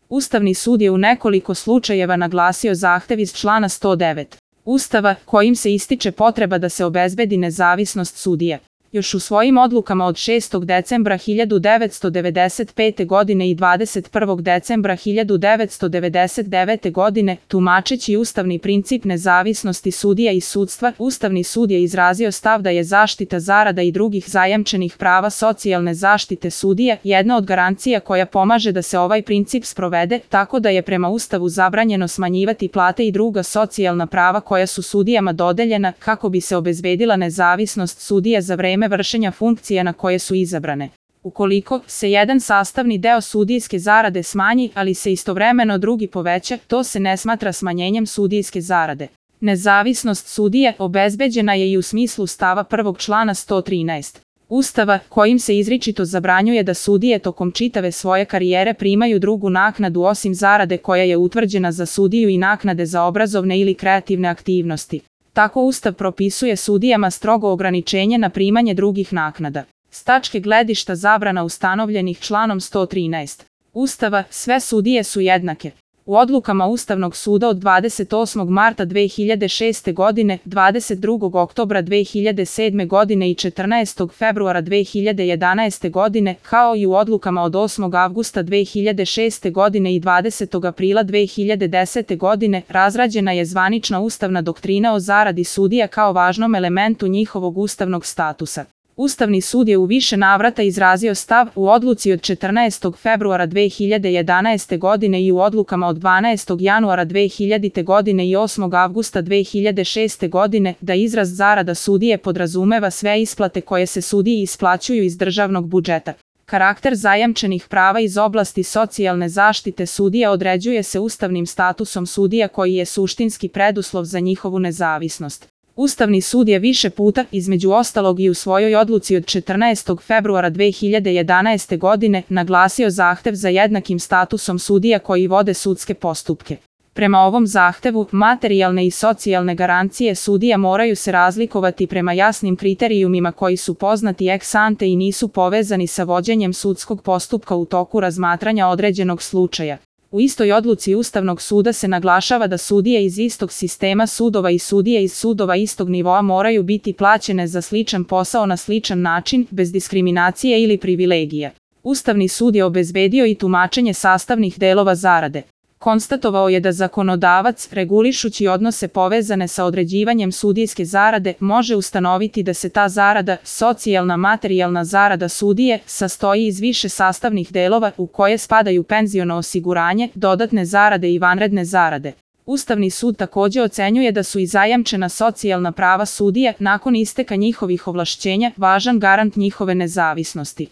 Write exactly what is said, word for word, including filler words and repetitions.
Ustavni sud je u nekoliko slučajeva naglasio zahtev iz člana sto devet Ustava, kojim se ističe potreba da se obezbedi nezavisnost sudija. Još u svojim odlukama od šestog decembra hiljadu devetsto devedeset pete. godine i dvadeset prvog decembra hiljadu devetsto devedeset devete. godine, tumačeći ustavni princip nezavisnosti sudija i sudstva, Ustavni sud je izrazio stav da je zaštita zarada i drugih zajamčenih prava socijalne zaštite sudija jedna od garancija koja pomaže da se ovaj princip sprovede, tako da je prema Ustavu zabranjeno smanjivati plate i druga socijalna prava koja su sudijama dodeljena, kako bi se obezbedila nezavisnost sudija za vreme vršenja funkcija na koje su izabrane. Ukoliko se jedan sastavni deo sudijske zarade smanji, ali se istovremeno drugi poveća, to se ne smatra smanjenjem sudijske zarade. Nezavisnost sudije obezbeđena je i u smislu stava prvog člana sto trinaest Ustava, kojim se izričito zabranjuje da sudije tokom čitave svoje karijere primaju drugu naknadu osim zarade koja je utvrđena za sudiju i naknade za obrazovne ili kreativne aktivnosti. Tako Ustav propisuje sudijama strogo ograničenje na primanje drugih naknada. S tačke gledišta zabrana ustanovljenih članom sto trinaest Ustava, sve sudije su jednake. U odlukama Ustavnog suda od dvadeset osmog marta dve hiljade šeste. godine, dvadeset drugog oktobra dve hiljade sedme. godine i četrnaestog februara dve hiljade jedanaeste. godine, kao i u odlukama od osmog avgusta dve hiljade šeste. godine i dvadesetog aprila dve hiljade desete. godine, razrađena je zvanična ustavna doktrina o zaradi sudija kao važnom elementu njihovog ustavnog statusa. Ustavni sud je u više navrata izrazio stav u odluci od četrnaestog februara dve hiljade jedanaeste. godine i u odlukama od dvanaestog januara dve hiljadite. godine i osmog avgusta dve hiljade šeste. godine da izraz zarada sudije podrazumeva sve isplate koje se sudiji isplaćuju iz državnog budžeta. Karakter zajamčenih prava iz oblasti socijalne zaštite sudija određuje se ustavnim statusom sudija koji je suštinski preduslov za njihovu nezavisnost. Ustavni sud je više puta, između ostalog i u svojoj odluci od četrnaestog februara dve hiljade jedanaeste. godine, naglasio zahtev za jednakim statusom sudija koji vode sudske postupke. Prema ovom zahtevu, materijalne i socijalne garancije sudija moraju se razlikovati prema jasnim kriterijumima koji su poznati ex ante i nisu povezani sa vođenjem sudskog postupka u toku razmatranja određenog slučaja. U istoj odluci Ustavnog suda se naglašava da sudije iz istog sistema sudova i sudije iz sudova istog nivoa moraju biti plaćene za sličan posao na sličan način, bez diskriminacije ili privilegija. Ustavni sud je obezbedio i tumačenje sastavnih delova zarade. Konstatovao je da zakonodavac, regulišući odnose povezane sa određivanjem sudijske zarade, može ustanoviti da se ta zarada, socijalna materijalna zarada sudije, sastoji iz više sastavnih delova u koje spadaju penziono osiguranje, dodatne zarade i vanredne zarade. Ustavni sud takođe ocenjuje da su i zajamčena socijalna prava sudija nakon isteka njihovih ovlašćenja važan garant njihove nezavisnosti.